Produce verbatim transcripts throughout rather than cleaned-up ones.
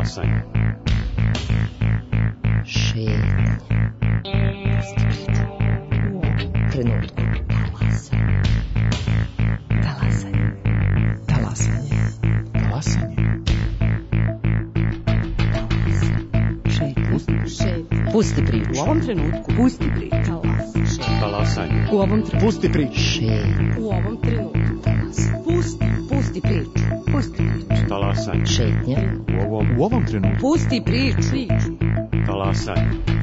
Talasanje. Šetnje. U ovom trenutku. Talasanje. Talasanje. Talasanje. Šetnje. Pusti priču. U ovom trenutku. Pusti priču. Talasanje. U ovom trenutku. Pusti priču. Šetnje. U ovom trenutku. Pusti. Pusti priču. Pusti priču. Talasanje. Šetnje. U ovom, U ovom trenutku. Pusti priču. talasanje.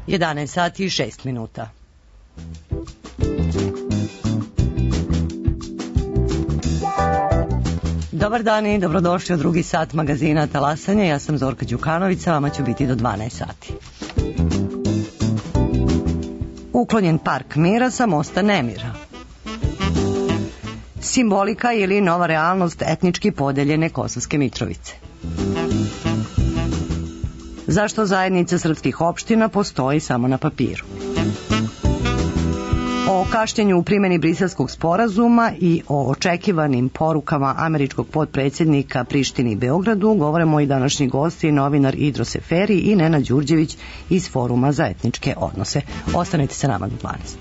jedanaest sati i šest minuta. Dobar dan i dobrodošli u drugi sat magazina Talasanje. Ja sam Zorka Đukanović, sa vama ću biti do dvanaest sati. Uklonjen park mira sa mosta nemira. Simbolika ili nova realnost etnički podeljene Kosovske Mitrovice. Zašto zajednica srpskih opština postoji samo na papiru? O kašnjenju u primjeni Briselskog sporazuma i o očekivanim porukama američkog potpredsjednika Prištini i Beogradu govore moji današnji gosti, novinar Idro Seferi i Nenad Đurđević iz Foruma za etničke odnose. Ostanite sa nama do dvanaest.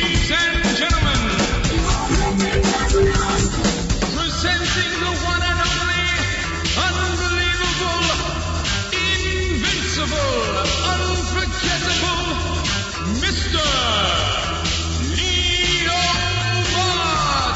Mister Leo Bart.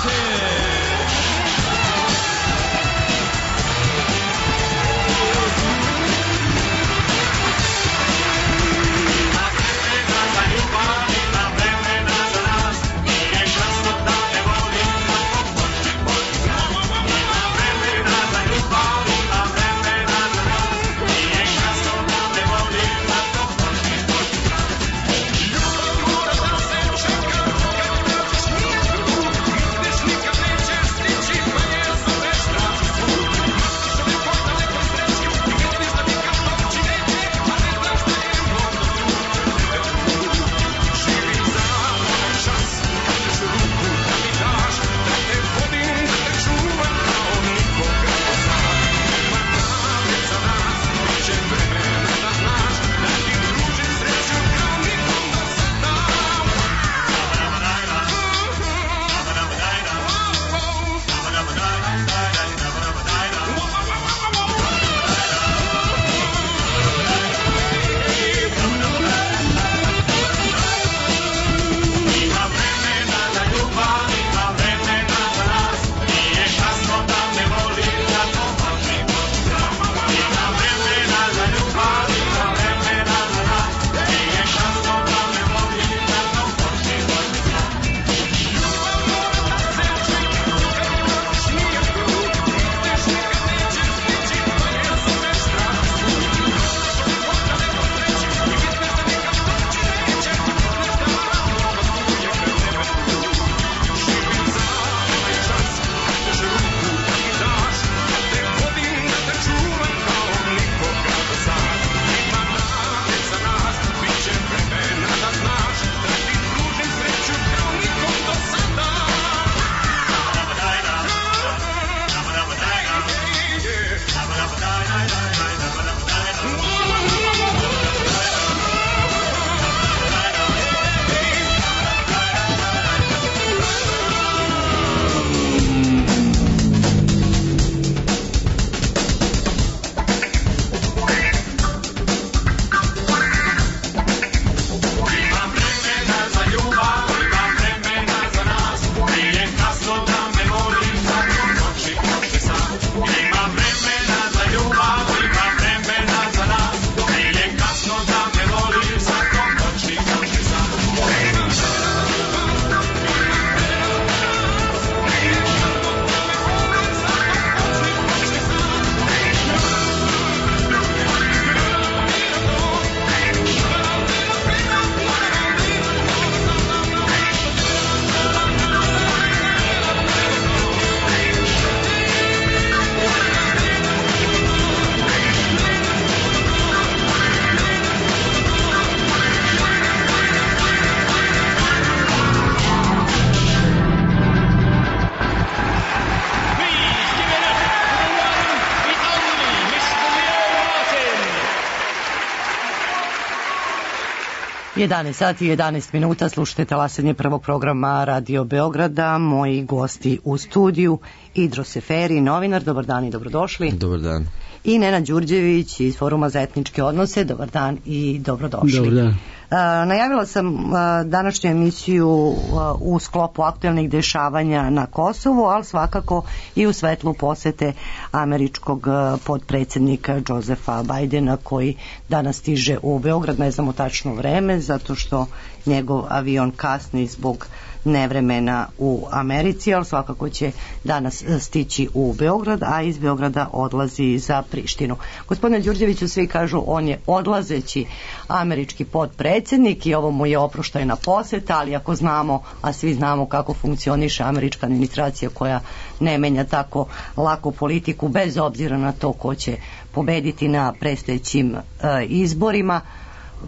jedanaest sati i jedanaest minuta, slušate talasanje prvog programa Radio Beograda. Moji gosti u studiju Idro Seferi, novinar, dobar dan i dobrodošli. Dobar dan. I Nenad Đurđević iz Foruma za etničke odnose, dobar dan i dobrodošli. Dobar dan. Uh, najavila sam uh, današnju emisiju uh, u sklopu aktuelnih dešavanja na Kosovu, ali svakako i u svetlu posete američkog uh, podpredsednika Josefa Bajdena, koji danas stiže u Beograd. Ne znamo tačno vreme, zato što njegov avion kasni zbog nevremena u Americi, ali svakako će danas stići u Beograd, a iz Beograda odlazi za Prištinu. Gospodine Đurđeviću, svi kažu on je odlazeći američki podpredsednik i ovo mu je oproštajna poseta, ali ako znamo, a svi znamo kako funkcioniše američka administracija koja ne menja tako lako politiku bez obzira na to ko će pobediti na predstojećim e, izborima,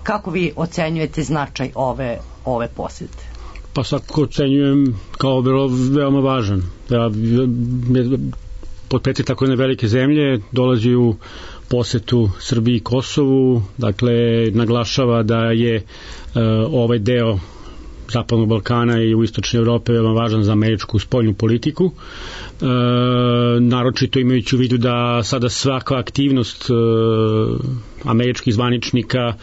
kako vi ocenjujete značaj ove, ove posete? Pa svakako ocenjujem kao veoma važan. Da, potpredsednik tako jedne velike zemlje dolazi u posetu Srbiji i Kosovu, dakle naglašava da je e, ovaj deo Zapadnog Balkana i u istočnoj Evrope veoma važan za američku spoljnu politiku. E, naročito imajući u vidu da sada svaka aktivnost e, američkih zvaničnika e,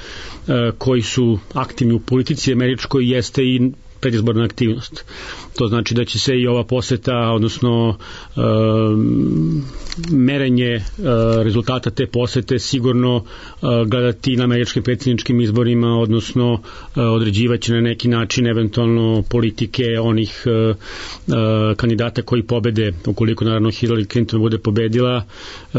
koji su aktivni u politici američkoj jeste i predizborna aktivnost. To znači da će se i ova poseta, odnosno e, merenje e, rezultata te posete sigurno e, gledati na američkim predsjedničkim izborima, odnosno e, određivaće na neki način eventualno politike onih e, e, kandidata koji pobede, ukoliko naravno Hillary Clinton bude pobedila. E,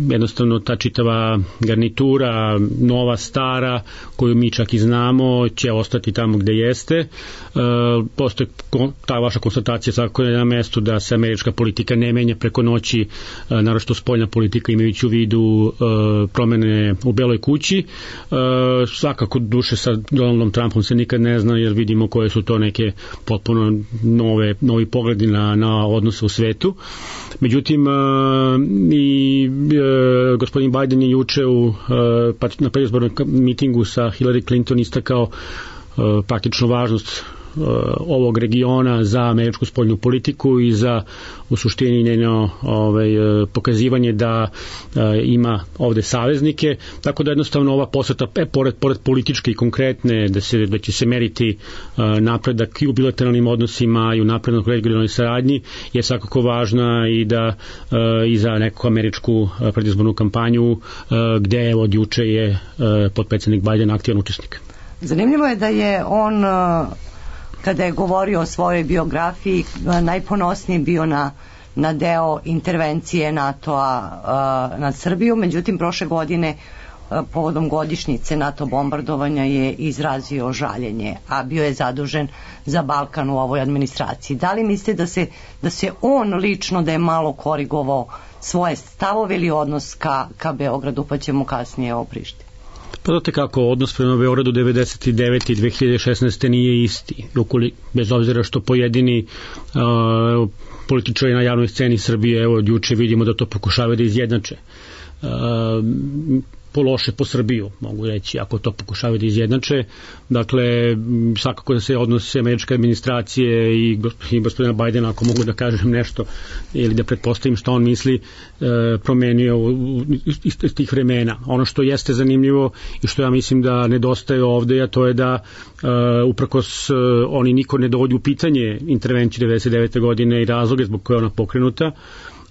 jednostavno ta čitava garnitura, nova, stara, koju mi čak i znamo, će ostati tamo gde jeste. E, postoje ta vaša konstatacija svakako je na mestu da se američka politika ne menja preko noći, e, naročito spoljna politika imajući u vidu e, promene u Beloj kući. E, svakako duše sa Donaldom Trumpom se nikad ne zna, jer vidimo koje su to neke potpuno nove, novi pogledi na, na odnose u svetu. Međutim, e, i e, gospodin Biden je juče u, e, na predizbornom mitingu sa Hillary Clinton istakao e, praktično važnost ovog regiona za američku spoljnu politiku i za u suštini njeno ovaj, pokazivanje da e, ima ovde saveznike, tako da jednostavno ova poseta, e, pored, pored političke i konkretne, da, se, da će se meriti e, napredak i u bilateralnim odnosima i u naprednoj regionalnoj saradnji, je svakako važna i da e, i za neku američku predizbornu kampanju, e, gde od juče je e, podpredsednik Biden aktivan učesnik. Zanimljivo je da je on, kada je govorio o svojoj biografiji, najponosniji bio na, na deo intervencije NATO-a nad Srbiju, međutim prošle godine povodom godišnjice NATO bombardovanja je izrazio žaljenje, a bio je zadužen za Balkan u ovoj administraciji. Da li mislite da se, da se on lično da je malo korigovao svoje stavove ili odnos ka, ka Beogradu, pa ćemo kasnije o Prištini? Pa znate kako, odnos prema Beogradu devedeset devete i dve hiljade šesnaeste nije isti, bez obzira što pojedini uh, političari na javnoj sceni Srbije, evo od juče vidimo da to pokušavaju da izjednače. Uh, po loše po Srbiju, mogu reći, ako to pokušavaju da izjednače. Dakle, svakako da se odnose američke administracije i, i gospodina Bajdena, ako mogu da kažem nešto ili da pretpostavim što on misli, e, promenio iz, iz tih vremena. Ono što jeste zanimljivo i što ja mislim da nedostaje ovde, a to je da e, uprkos e, oni niko ne dovodi u pitanje intervenciju devedeset devete godine i razloge zbog koje je ona pokrenuta,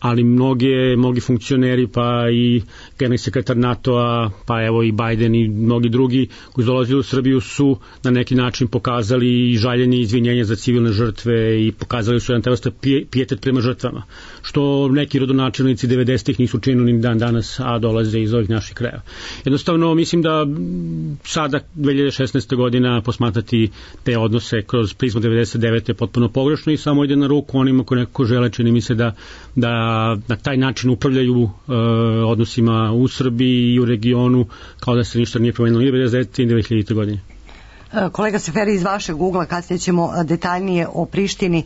ali mnoge, mnogi funkcioneri, pa i generalni sekretar NATO-a, pa evo i Biden i mnogi drugi koji dolazili u Srbiju su na neki način pokazali i žaljenje i izvinjenje za civilne žrtve i pokazali su jedan taj vrsta pijetet prema žrtvama, što neki rodonačelnici devedesetih nisu činili ni dan danas, a dolaze iz ovih naših krajeva. Jednostavno, mislim da sada dve hiljade šesnaeste godina posmatrati te odnose kroz prizmu devedeset devete je potpuno pogrešno i samo ide na ruku onima koji nekako žele, čini mi se da, da na taj način upravljaju e, odnosima u Srbiji i u regionu, kao da se ništa nije promenilo ni devedeset devete i dve hiljadite godine. Kolega Seferi, iz vašeg ugla, kasnije ćemo detaljnije o Prištini,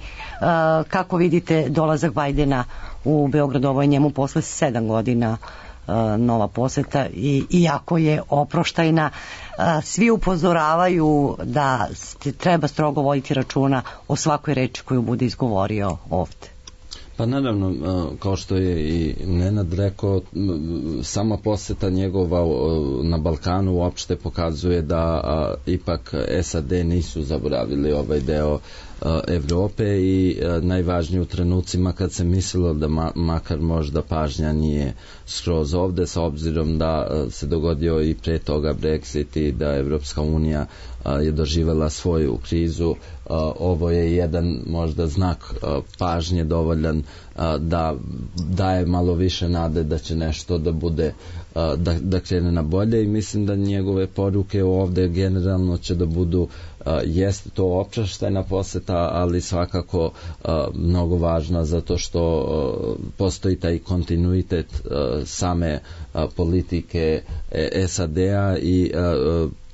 kako vidite dolazak Bajdena u Beograd, ovo je njemu posle sedam godina nova poseta i iako je oproštajna, svi upozoravaju da treba strogo voditi računa o svakoj reči koju bude izgovorio ovde. Pa naravno, kao što je i Nenad rekao, sama poseta njegova na Balkanu uopšte pokazuje da ipak S A D nisu zaboravili ovaj deo Evrope i najvažnije u trenucima kad se mislilo da ma, makar možda pažnja nije skroz ovde, sa obzirom da se dogodio i pre toga Brexit i da Evropska unija je doživela svoju krizu, ovo je jedan možda znak pažnje dovoljan da daje malo više nade da će nešto da bude da, da krene na bolje i mislim da njegove poruke ovde generalno će da budu jeste to oproštajna poseta, ali svakako mnogo važna zato što postoji taj kontinuitet same politike S A D-a i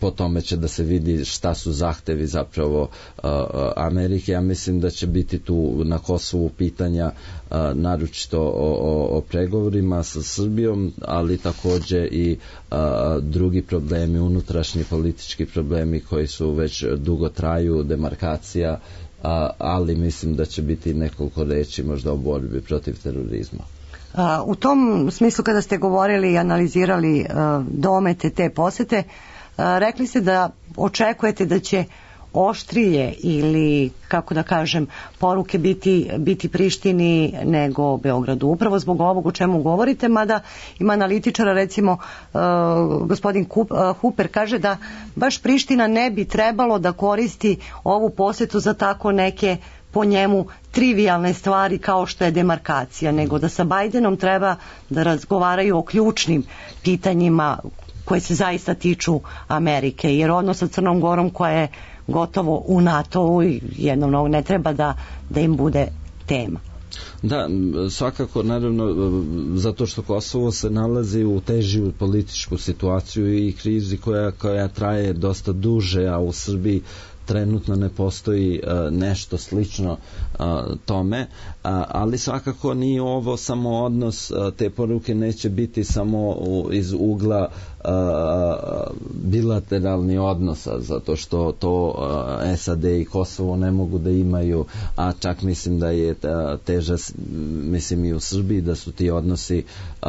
po tome će da se vidi šta su zahtevi zapravo uh, Amerike. Ja mislim da će biti tu na Kosovu pitanja uh, naročito o, o, o pregovorima sa Srbijom, ali takođe i uh, drugi problemi, unutrašnji politički problemi koji su već dugo traju, demarkacija, uh, ali mislim da će biti nekoliko reči možda o borbi protiv terorizma. Uh, u tom smislu kada ste govorili i analizirali uh, domete te posete, rekli ste da očekujete da će oštrije ili, kako da kažem, poruke biti, biti Prištini nego Beogradu. Upravo zbog ovog o čemu govorite, mada ima analitičara, recimo uh, gospodin Kup, uh, Huper kaže da baš Priština ne bi trebalo da koristi ovu posetu za tako neke po njemu trivijalne stvari kao što je demarkacija, nego da sa Bajdenom treba da razgovaraju o ključnim pitanjima koje se zaista tiču Amerike, jer odnos sa Crnom Gorom koja je gotovo u NATO-u i jednom ne treba da, da im bude tema. Da, svakako, naravno, zato što Kosovo se nalazi u težiju političku situaciju i krizi koja, koja traje dosta duže, a u Srbiji trenutno ne postoji uh, nešto slično uh, tome, uh, ali svakako nije ovo samo odnos, uh, te poruke neće biti samo u, iz ugla uh, bilateralni odnosa, zato što to uh, S A D i Kosovo ne mogu da imaju, a čak mislim da je teža, mislim i u Srbiji, da su ti odnosi uh,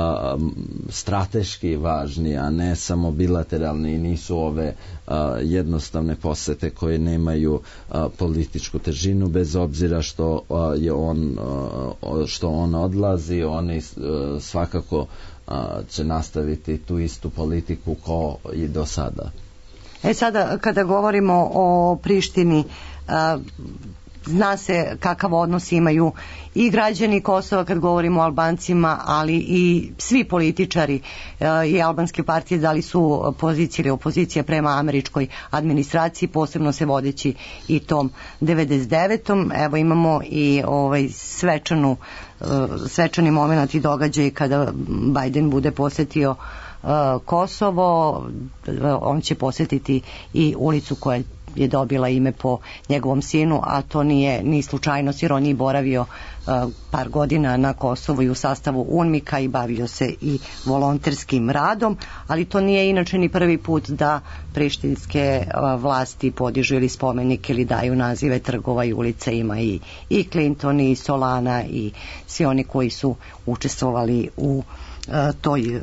strateški važni, a ne samo bilateralni i nisu ove uh, jednostavne posete koje nemaju a, političku težinu, bez obzira što a, je on a, što on odlazi, oni a, svakako a, će nastaviti tu istu politiku kao i do sada. E sada kada govorimo o Prištini, a, zna se kakav odnos imaju i građani Kosova kad govorimo o Albancima, ali i svi političari i albanske partije, da li su pozicija ili opozicija prema američkoj administraciji, posebno se vodeći i tom devedeset devetom. Evo imamo i ovaj svečanu, svečani moment i događaj kada Bajden bude posetio Kosovo, on će posetiti i ulicu koja je dobila ime po njegovom sinu, a to nije ni slučajnost jer on je boravio uh, par godina na Kosovu i u sastavu UNMIK-a i bavio se i volonterskim radom, ali to nije inače ni prvi put da prištinske uh, vlasti podižu ili spomenike ili daju nazive trgova i ulica. Ima i, i Clinton i Solana i svi oni koji su učestvovali u toj uh,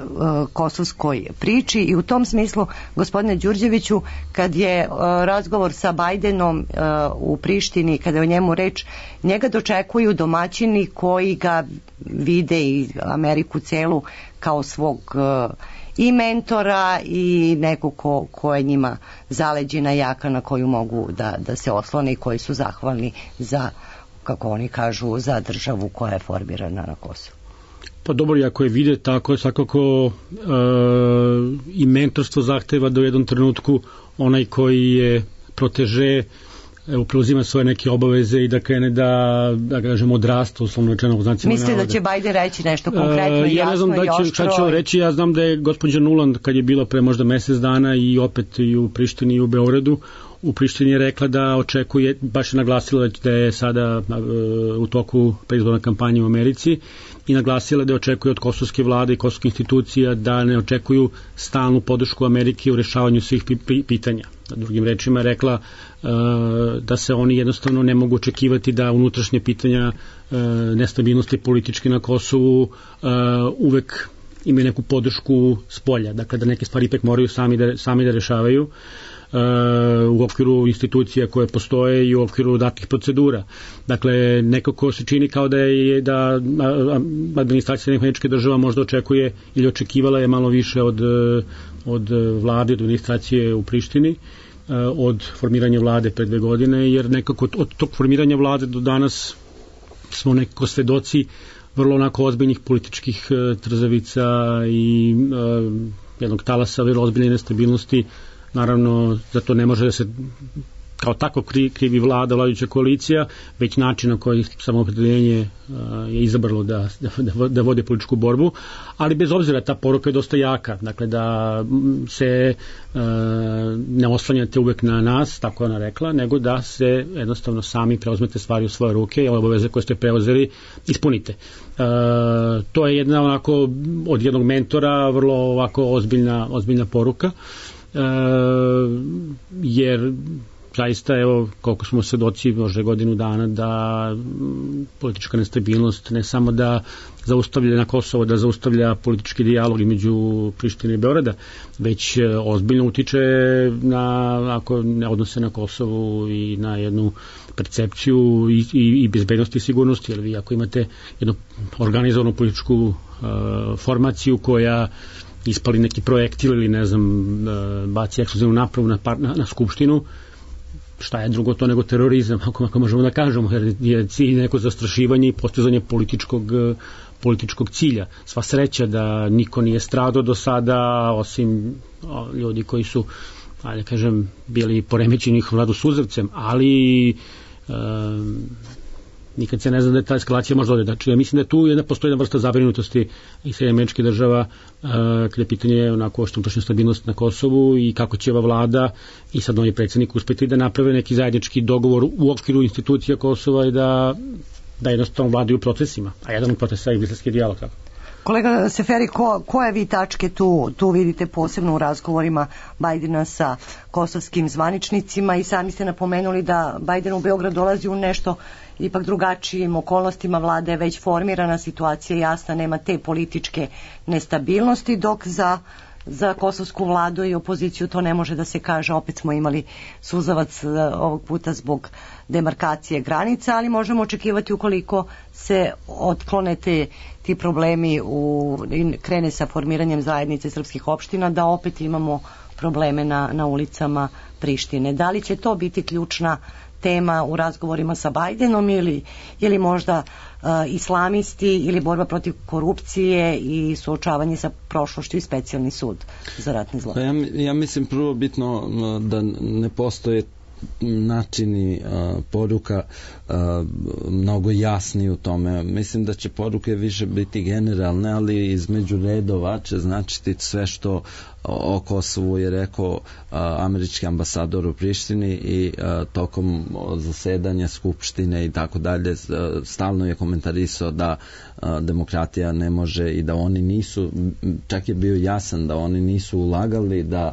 kosovskoj priči i u tom smislu, gospodine Đurđeviću, kad je uh, razgovor sa Bajdenom uh, u Prištini, kada je o njemu reč, njega dočekuju domaćini koji ga vide i Ameriku celu kao svog uh, i mentora i neko ko, ko je njima zaleđena jaka na koju mogu da, da se oslone i koji su zahvalni za, kako oni kažu, za državu koja je formirana na Kosovu. Pa dobro, ako je vide tako, svakako e, i mentorstvo zahteva da u jednom trenutku onaj koji je proteže evo, preuzima svoje neke obaveze i da krene da, da kažem, odrasta, uslovno rečeno u znacima navoda. Mislite da će Bajden reći nešto konkretno, e, ja jasno da i oštro? Šta će on reći, ja znam da je gospođa Nuland, kad je bilo pre možda mesec dana i opet i u Prištini i u Beogradu, u Prištini je rekla da očekuje, baš je naglasila da je sada uh, u toku predizborna kampanja u Americi i naglasila da očekuje od kosovske vlade i kosovskih institucija da ne očekuju stalnu podršku Amerike u rešavanju svih pitanja. Drugim rečima je rekla uh, da se oni jednostavno ne mogu očekivati da unutrašnje pitanja uh, nestabilnosti politički na Kosovu uh, uvek imaju neku podršku s polja. Dakle, da neke stvari ipak moraju sami da, sami da rešavaju uh, u okviru institucija koje postoje i u okviru datih procedura. Dakle, nekako se čini kao da je da administracija Američke država možda očekuje ili očekivala je malo više od od vlade, od administracije u Prištini, od formiranja vlade pre dve godine, jer nekako od tog formiranja vlade do danas smo nekako svedoci vrlo onako ozbiljnih političkih trzavica i jednog talasa vrlo ozbiljne nestabilnosti. Naravno, za to ne može da se kao tako krivi vlada, vladajuća koalicija, već način na koji samoopredeljenje je izabralo da, da, da vode političku borbu, ali bez obzira ta poruka je dosta jaka, dakle da se uh, ne oslanjate uvek na nas, tako je ona rekla, nego da se jednostavno sami preuzmete stvari u svoje ruke i ove obaveze koje ste preuzeli ispunite. Uh, to je jedna onako od jednog mentora vrlo ovako ozbiljna, ozbiljna poruka, uh, jer zaista, evo, koliko smo svedoci možda godinu dana da politička nestabilnost ne samo da zaustavlja na Kosovo, da zaustavlja politički dijalog između Prištine i Beograda, već ozbiljno utiče na, ako ne odnose na Kosovu i na jednu percepciju i, i, i bezbednosti i sigurnosti, jer vi ako imate jednu organizovanu političku uh, formaciju koja ispali neki projektil ili ne znam, uh, baci eksplozivnu napravu na, na, na skupštinu, šta je drugo to nego terorizam, ako, ako možemo da kažemo, jer je cilj neko zastrašivanje i postizanje političkog, političkog cilja. Sva sreća da niko nije stradao do sada, osim o, ljudi koji su, ajde kažem, bili poremećeni njihov rad u suzavcem, ali um, nikad se ne zna da je ta eskalacija možda ode. Znači, ja mislim da tu jedna, postoji jedna vrsta zabrinutosti i Sjedinjenih Američkih Država uh, kada je pitanje onako što unutrašnja stabilnost na Kosovu i kako će ova vlada i sad novi predsjednik uspeti da naprave neki zajednički dogovor u okviru institucija Kosova i da, da jednostavno vladaju procesima. A jedan od procesa je briselski dijalog. Kolega Seferi, ko, koje vi tačke tu, tu vidite posebno u razgovorima Bajdena sa kosovskim zvaničnicima i sami ste napomenuli da Bajden u Beograd dolazi u nešto ipak drugačijim okolnostima, vlada je već formirana, situacija je jasna, nema te političke nestabilnosti, dok za, za kosovsku vladu i opoziciju to ne može da se kaže. Opet smo imali suzavac ovog puta zbog demarkacije granica, ali možemo očekivati ukoliko se otklone te, ti problemi u, krene sa formiranjem zajednice srpskih opština, da opet imamo probleme na, na ulicama Prištine. Da li će to biti ključna tema u razgovorima sa Bajdenom ili, ili možda uh, islamisti ili borba protiv korupcije i suočavanje sa prošlošću i specijalni sud za ratne zločine? Pa ja, ja mislim prvo bitno da ne postoje načini uh, poruka uh, mnogo jasni u tome. Mislim da će poruke više biti generalne, ali između redova će značiti sve što o Kosovu je rekao uh, američki ambasador u Prištini i uh, tokom zasedanja Skupštine i tako dalje uh, stalno je komentarisao da uh, demokratija ne može i da oni nisu, čak je bio jasan da oni nisu ulagali da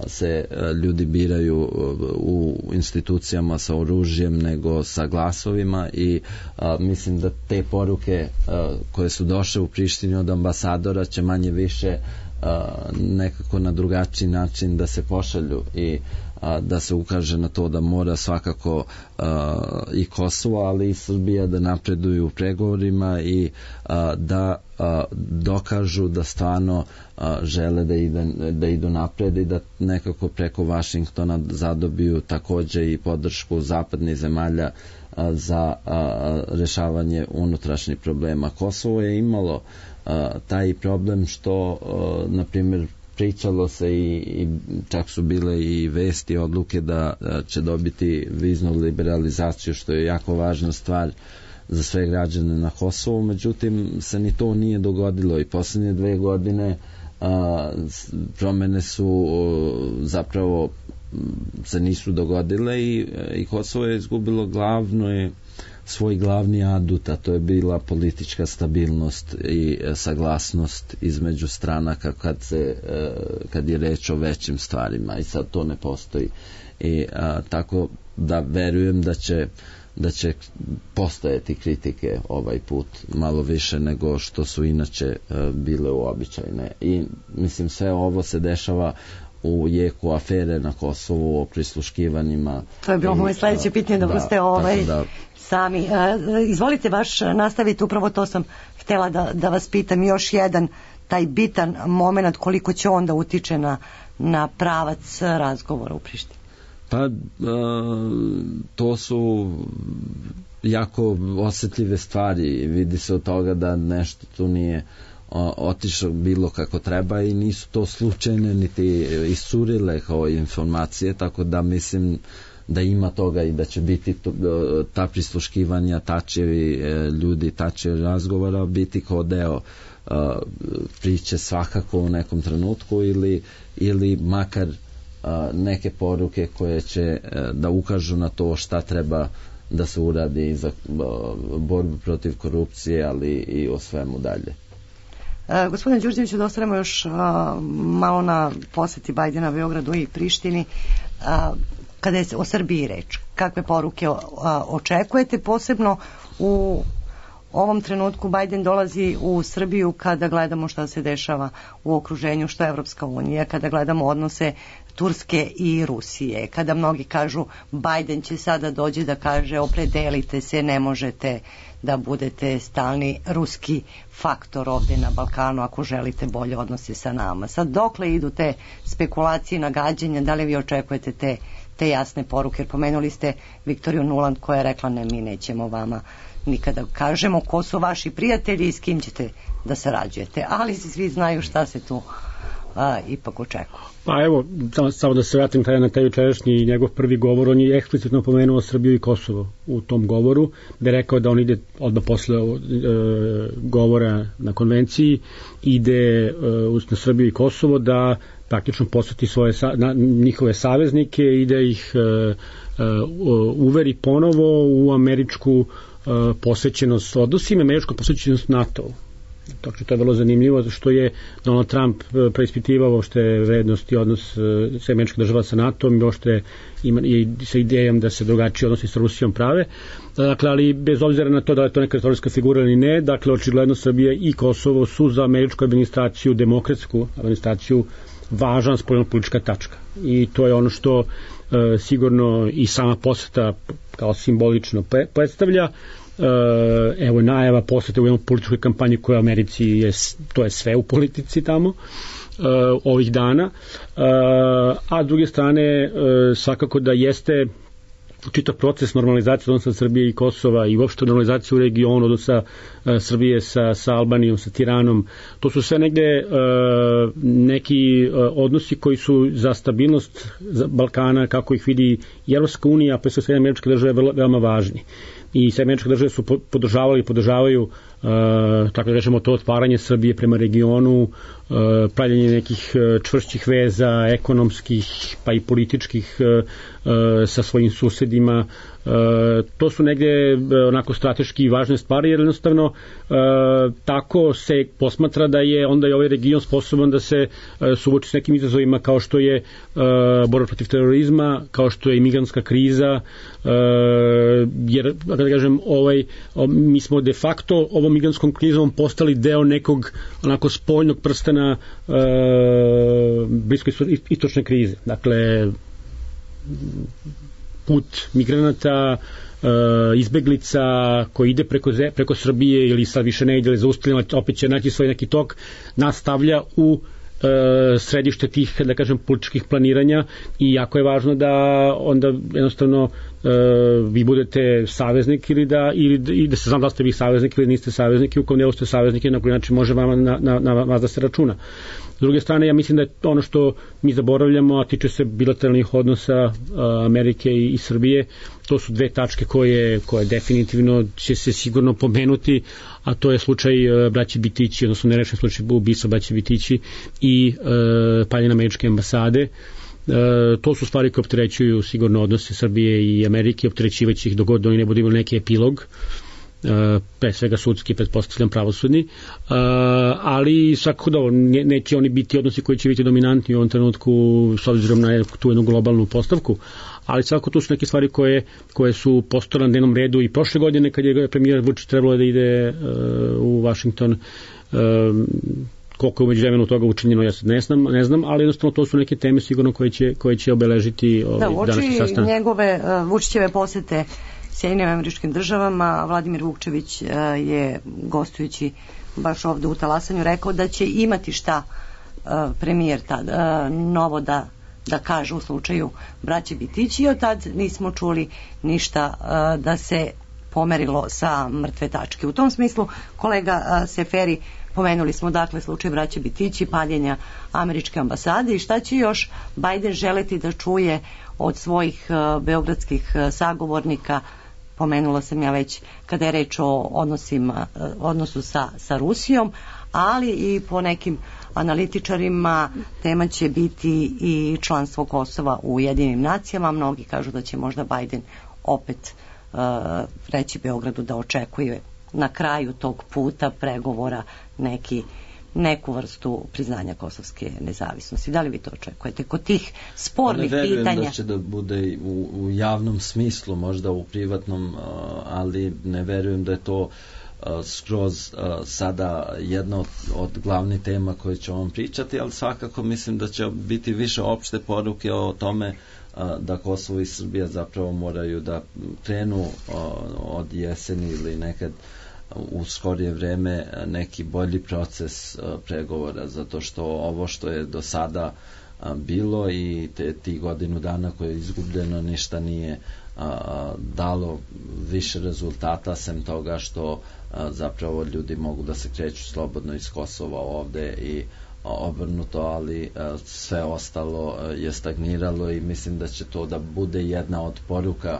se ljudi biraju u institucijama sa oružjem nego sa glasovima i a, mislim da te poruke a, koje su došle u Prištini od ambasadora će manje više a, nekako na drugačiji način da se pošalju i a, da se ukaže na to da mora svakako a, i Kosovo, ali i Srbija da napreduju u pregovorima i a, da a, dokažu da stvarno a, žele da, ide, da idu napred i da nekako preko Vašingtona zadobiju takođe i podršku zapadnih zemalja a, za a, rešavanje unutrašnjih problema. Kosovo je imalo a, taj problem što, a, na primjer, pričalo se i, i čak su bile i vesti, odluke da će dobiti viznu liberalizaciju, što je jako važna stvar za sve građane na Kosovu, međutim se ni to nije dogodilo i posljednje dve godine a, promene su a, zapravo se nisu dogodile i, i Kosovo je izgubilo glavno je svoj glavni adut, a to je bila politička stabilnost i saglasnost između stranaka kad, se, kad je reč o većim stvarima i sad to ne postoji. I a, tako da verujem da će da će postojati kritike ovaj put malo više nego što su inače e, bile uobičajene. I mislim sve ovo se dešava u jeku afere na Kosovu o prisluškivanjima. To je bilo moje sledeće pitanje, dobro ste ovaj da, sami. E, izvolite baš nastaviti, upravo to sam htela da, da vas pitam, još jedan taj bitan moment, koliko će onda utiče na, na pravac razgovora u Prištini. Pa to su jako osjetljive stvari, vidi se od toga da nešto tu nije otišlo bilo kako treba i nisu to slučajne niti iscurile kao informacije, tako da mislim da ima toga i da će biti to, ta prisluškivanja, tačevi ljudi, tačevi razgovora biti kao deo priče svakako u nekom trenutku ili, ili makar neke poruke koje će da ukažu na to šta treba da se uradi za borbu protiv korupcije, ali i o svemu dalje. E, gospodine Đurđeviću, da ostanemo još a, malo na poseti Bajdena Beogradu i Prištini. A, kada je o Srbiji reč, kakve poruke a, očekujete, posebno u ovom trenutku Bajden dolazi u Srbiju kada gledamo šta se dešava u okruženju, što je Evropska unija, kada gledamo odnose Turske i Rusije, kada mnogi kažu Bajden će sada dođe da kaže opredelite se, ne možete da budete stalni ruski faktor ovde na Balkanu ako želite bolje odnose sa nama. Sad dokle idu te spekulacije, nagađanja, da li vi očekujete te, te jasne poruke, jer pomenuli ste Viktoriju Nuland koja je rekla ne, mi nećemo vama nikada kažemo ko su vaši prijatelji i s kim ćete da sarađujete, ali svi znaju šta se tu a, ipak očekuje. Pa evo, samo, samo da se vratim taj na taj jučerašnji njegov prvi govor, on je eksplicitno pomenuo Srbiju i Kosovo u tom govoru, da je rekao da on ide odmah posle e, govora na konvenciji, ide e, na Srbiju i Kosovo da praktično posveti svoje na, njihove saveznike i da ih e, e, uveri ponovo u američku posvećenost odnosima, američku posvećenost NATO-u. Tako to je vrlo zanimljivo, što je Donald Trump preispitivao što je vrednost i odnos sve američke država sa NATO-om i što je ima i sa idejom da se drugačije odnosi sa Rusijom prave. Dakle, ali bez obzira na to da je to neka istorijska figura ili ne, dakle, očigledno Srbija i Kosovo su za američku administraciju, demokratsku administraciju, važna spoljnopolitička tačka. I to je ono što e, sigurno i sama poseta kao simbolično predstavlja. E, evo najava posete u jednom političkoj kampanji koja u Americi je, to je sve u politici tamo e, ovih dana, e, a s druge strane e, svakako da jeste čitav proces normalizacije odnosa Srbije i Kosova i uopšte normalizacije u regionu odnosa e, Srbije sa, sa Albanijom, sa Tiranom, to su sve negde e, neki e, odnosi koji su za stabilnost za Balkana, kako ih vidi i Evropska unija, pa sve američke države veoma važni. I sve američke države su podržavali i podržavaju Uh, tako da kažemo to otvaranje Srbije prema regionu, uh, pravljenje nekih uh, čvršćih veza, ekonomskih pa i političkih uh, uh, sa svojim susedima. Uh, to su negde uh, onako strateški važne stvari, jer jednostavno uh, tako se posmatra da je onda i ovaj region sposoban da se uh, suoči s nekim izazovima kao što je uh, borba protiv terorizma, kao što je imigrantska kriza, uh, jer da kažem ovaj, mi smo de facto ovom migrantskom krizom postali deo nekog onako spoljnog prstena e, blisko istočne krize. Dakle, put migranata, e, izbeglica koji ide preko, preko Srbije ili sad više ne ide, ali zaustavljeno, opet će naći svoj neki tok, nastavlja u e, središte tih, da kažem, političkih planiranja i jako je važno da onda jednostavno Uh, vi budete saveznik ili da, ili, ili da se znam da ste vi saveznik ili niste saveznik i u kom delu ste saveznik na koji način može vama na, na, na vas da se računa. S druge strane, ja mislim da je ono što mi zaboravljamo, a tiče se bilateralnih odnosa uh, Amerike i, i Srbije, to su dve tačke koje, koje definitivno će se sigurno pomenuti, a to je slučaj uh, braće Bitići, odnosno nerešen slučaj ubistva braće Bitići i uh, paljenja američke ambasade. to su stvari koje opterećuju sigurno odnose Srbije i Amerike, opterećivaće ih dogod oni ne budu imali neki epilog, pre svega sudski, pretpostavljam pravosudni, ali svakako da neće oni biti odnosi koji će biti dominantni u ovom trenutku s obzirom na tu jednu globalnu postavku, ali svakako tu su neke stvari koje, koje su postojale na dnevnom redu i prošle godine kad je premijer Vučić trebalo da ide u Washington. Koliko je umeđu vremenu toga učinjeno, ja sad ne znam, ne znam, ali jednostavno to su neke teme sigurno koje će, koje će obeležiti ovaj, da, današnji sastanak. Da, njegove uh, Vučićeve posete Sjedinjenim Američkim Državama, Vladimir Vukčević uh, je gostujući baš ovde u Talasanju rekao da će imati šta uh, premijer tad, uh, novo da, da kaže u slučaju braće Bitići, i od tad nismo čuli ništa uh, da se pomerilo sa mrtve tačke. U tom smislu kolega uh, Seferi, pomenuli smo dakle slučaj braće Bitići, paljenja američke ambasade, i šta će još Bajden želeti da čuje od svojih uh, beogradskih uh, sagovornika. Pomenula sam ja već kada je reč o odnosima, uh, odnosu sa, sa Rusijom, ali i po nekim analitičarima tema će biti i članstvo Kosova u Ujedinjenim nacijama. Mnogi kažu da će možda Bajden opet uh, reći Beogradu da očekuje na kraju tog puta pregovora neki, neku vrstu priznanja kosovske nezavisnosti. Da li vi to očekujete kod tih spornih pitanja? Ne verujem da će da bude u, u javnom smislu, možda u privatnom, ali ne verujem da je to skroz sada jedna od, od glavnih tema koje ćemo vam pričati, ali svakako mislim da će biti više opšte poruke o tome da Kosovo i Srbija zapravo moraju da krenu od jeseni ili nekad u skorije vreme neki bolji proces pregovora, zato što ovo što je do sada bilo i te, ti godinu dana koje je izgubljeno ništa nije dalo više rezultata, sem toga što zapravo ljudi mogu da se kreću slobodno iz Kosova ovde i obrnuto, ali sve ostalo je stagniralo i mislim da će to da bude jedna od poruka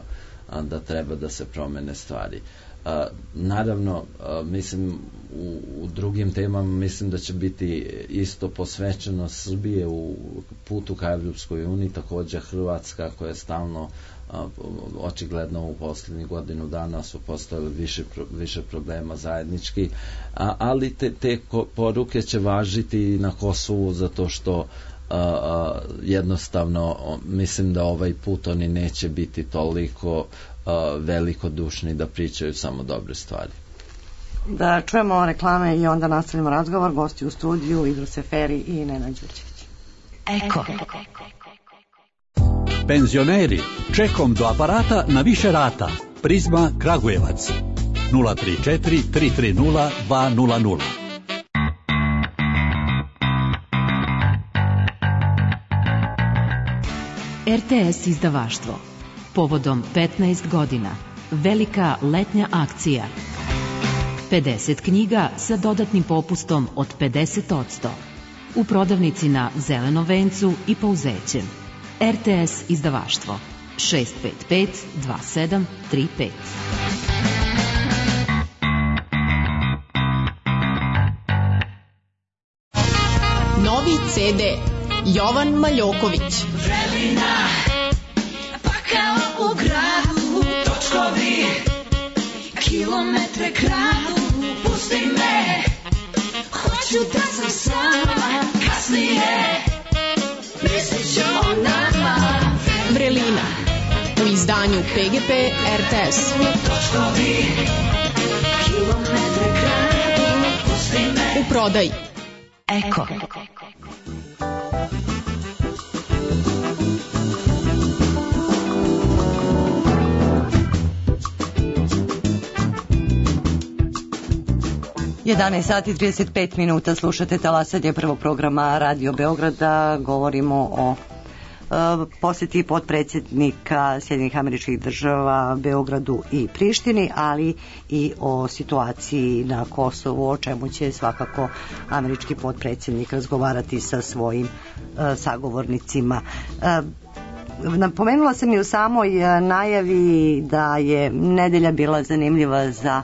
da treba da se promene stvari. Uh, naravno, uh, mislim u, u drugim temama mislim da će biti isto posvećeno Srbije u putu ka Evropskoj uniji, takođe Hrvatska koja je stalno uh, očigledno u poslednjih godinu dana su postojali više, više problema zajednički, uh, ali te, te poruke će važiti na Kosovu zato što uh, uh, jednostavno mislim da ovaj put oni neće biti toliko Uh, velikodušni da pričaju samo dobre stvari. Da čujemo reklame i onda nastavimo razgovor. Gosti u studiju Idro Seferi i Nenad Đurđević. Eko. Penzioneri, čekom do aparata na više rata. Prizma Kragujevac nula tri četiri tri tri nula dva nula nula. R T S izdavaštvo. Povodom petnaest godina. Velika letnja akcija. pedeset knjiga sa dodatnim popustom od pedeset posto. U prodavnici na Zelenom vencu i Pouzećem. R T S izdavaštvo. šest pet pet dva sedam tri pet. Novi C D. Jovan Maljoković. Želina, pa kao u gradu, točkovi, kilometre kradu, pusti me, hoću da sam sama, kasnije, mislit ću o nama. Vrelina, u izdanju P G P R T S. Točkovi, kilometre kradu, pusti me. U prodaji. Eko. jedanaest sati trideset pet minuta, slušate talasanje prvog programa Radio Beograda. Govorimo o uh, posjeti potpredsjednika Sjedinjenih Američkih Država Beogradu i Prištini, ali i o situaciji na Kosovu, o čemu će svakako američki potpredsjednik razgovarati sa svojim uh, sagovornicima. Uh, Napomenula sam i u samoj najavi da je nedelja bila zanimljiva za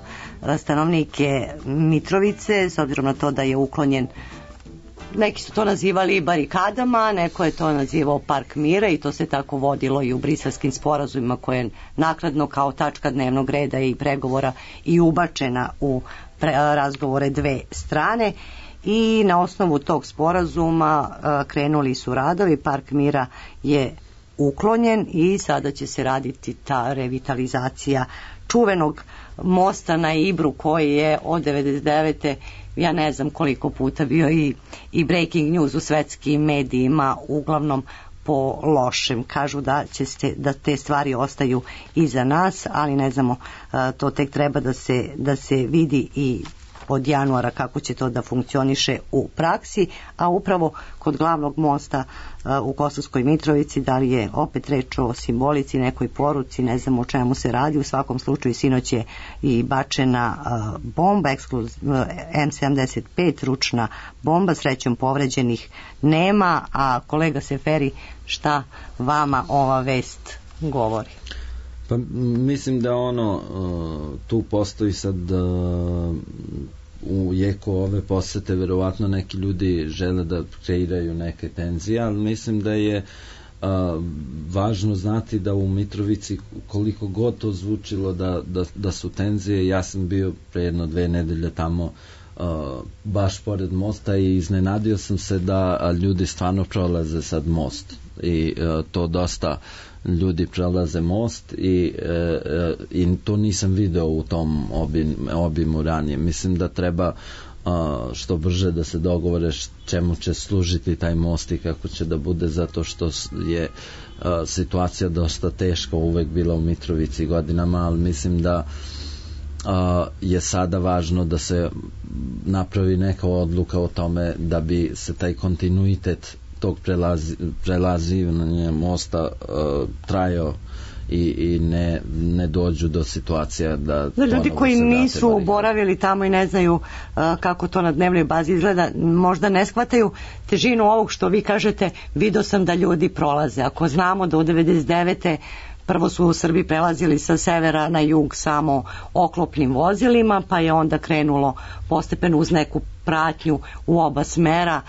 stanovnike Mitrovice, s obzirom na to da je uklonjen neki su to nazivali barikadama, neko je to nazivao park mira i to se tako vodilo i u briselskim sporazumima koje je nakladno kao tačka dnevnog reda i pregovora i ubačena u pre, razgovore dve strane. I na osnovu tog sporazuma a, krenuli su radovi, park mira je uklonjen i sada će se raditi ta revitalizacija čuvenog mosta na Ibru koji je od devedeset devete ja ne znam koliko puta bio i, i breaking news u svetskim medijima, uglavnom po lošem. Kažu da će se, da te stvari ostaju iza nas, ali ne znamo, to tek treba da se, da se vidi i od januara kako će to da funkcioniše u praksi, a upravo kod glavnog mosta u Kosovskoj Mitrovici, da li je opet reč o simbolici, nekoj poruci, ne znam o čemu se radi. U svakom slučaju sinoć je i bačena bomba em sedamdeset pet, ručna bomba, srećom povređenih nema. A kolega Seferi, šta vama ova vest govori? Pa mislim da ono tu postoji sad u jeku ove posete verovatno neki ljudi žele da kreiraju neke tenzije, ali mislim da je a, važno znati da u Mitrovici koliko god to zvučilo da, da, da su tenzije, ja sam bio pre jedno dve nedelje tamo a, baš pored mosta i iznenadio sam se da ljudi stvarno prolaze sad most i a, to dosta ljudi prelaze most i, e, i to nisam video u tom obim, obimu ranije. Mislim da treba a, što brže da se dogovore čemu će služiti taj most i kako će da bude, zato što je a, situacija dosta teška uvek bila u Mitrovici godinama, ali mislim da a, je sada važno da se napravi neka odluka o tome da bi se taj kontinuitet tog prelazi, prelazivanja mosta uh, trajao i, i ne, ne dođu do situacija da za ljudi koji nisu barikade. Boravili tamo i ne znaju uh, kako to na dnevnoj bazi izgleda, možda ne shvataju težinu ovog što vi kažete. Video sam da ljudi prolaze. Ako znamo da u devedeset devete prvo su u Srbiji prelazili sa severa na jug samo oklopnim vozilima, pa je onda krenulo postepeno uz neku pratnju u oba smera,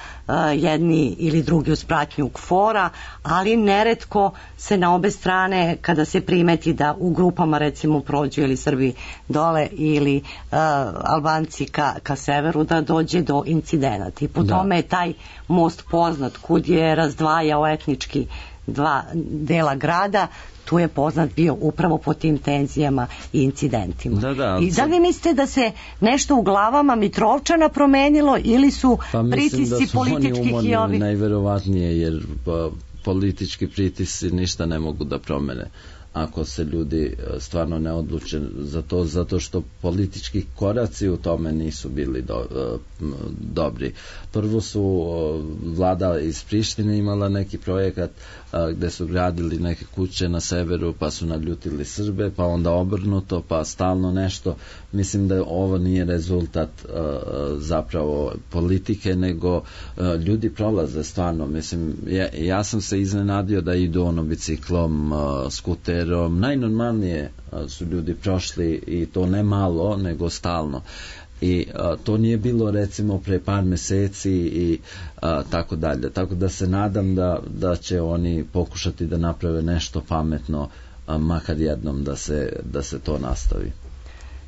jedni ili drugi uz pratnju KFOR-a, ali neretko se na obe strane, kada se primeti da u grupama recimo prođu ili Srbi dole ili uh, Albanci ka, ka severu, da dođe do incidenata. I po da. tome je taj most poznat, kud je razdvajao etnički dva dela grada, tu je poznat bio upravo po tim tenzijama i incidentima. Da, da, I da li mislite da se nešto u glavama Mitrovčana promenilo ili su pa pritisci da političkih i ovi? Najverovatnije, jer pa, politički pritisci ništa ne mogu da promene ako se ljudi stvarno ne odluče za to, zato što politički koraci u tome nisu bili do, dobri. Prvo su vlada iz Prištine imala neki projekat gde su gradili neke kuće na severu, pa su naljutili Srbe, pa onda obrnuto, pa stalno nešto. Mislim da ovo nije rezultat zapravo politike, nego ljudi prolaze stvarno. Mislim, ja, ja sam se iznenadio da idu ono biciklom, skuterom, najnormalnije su ljudi prošli i to ne malo, nego stalno. I a, to nije bilo recimo pre par meseci i a, tako dalje. Tako da se nadam da, da će oni pokušati da naprave nešto pametno, a, makar jednom da se, da se to nastavi.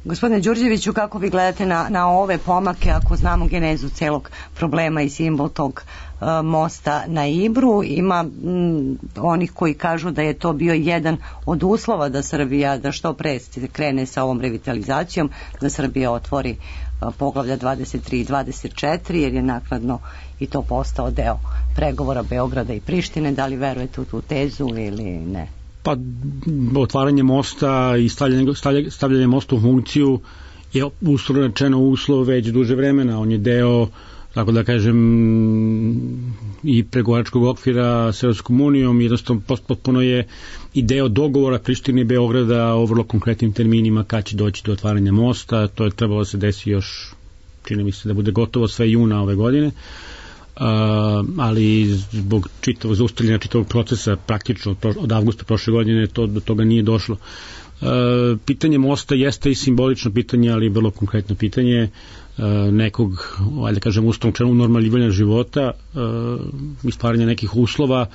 Gospodine Đurđeviću, kako vi gledate na, na ove pomake, ako znamo genezu celog problema i simbol tog uh, mosta na Ibru? Ima m, onih koji kažu da je to bio jedan od uslova da Srbija, da što pre krene sa ovom revitalizacijom, da Srbija otvori uh, poglavlja dvadeset tri i dvadeset četiri, jer je nakladno i to postao deo pregovora Beograda i Prištine. Da li verujete u tu tezu ili ne? Pa otvaranje mosta i stavljanje, stavljanje, stavljanje mosta u funkciju je uslovno rečeno uslov već duže vremena. On je deo, tako da kažem, i pregovaračkog okvira s Evropskom unijom, jednostavno potpuno je i deo dogovora Prištine i Beograda o vrlo konkretnim terminima kad će doći do otvaranja mosta. To je trebalo da se desi još, čini mi se da bude gotovo sve juna ove godine. Uh, ali zbog čitavog zaustavljanja čitavog procesa praktično od avgusta prošle godine to, do toga nije došlo. Uh, pitanje mosta jeste i simbolično pitanje, ali vrlo konkretno pitanje. Uh, nekog, ajde kažem, ustavnog člana normalivanja života i stvaranja nekih uslova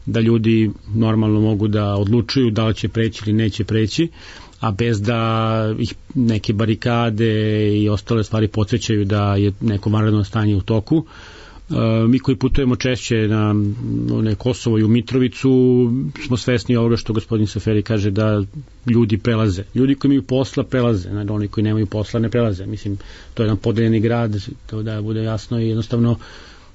da ljudi normalno mogu da odlučuju da li će preći ili neće preći, a bez da ih neke barikade i ostale stvari podsjećaju da je neko vanredno stanje u toku. Mi koji putujemo češće na, na Kosovo i u Mitrovicu smo svesni ovoga što gospodin Seferi kaže, da ljudi prelaze. Ljudi koji imaju posla prelaze, znači oni koji nemaju posla ne prelaze. Mislim, to je jedan podeljeni grad, to da bude jasno i jednostavno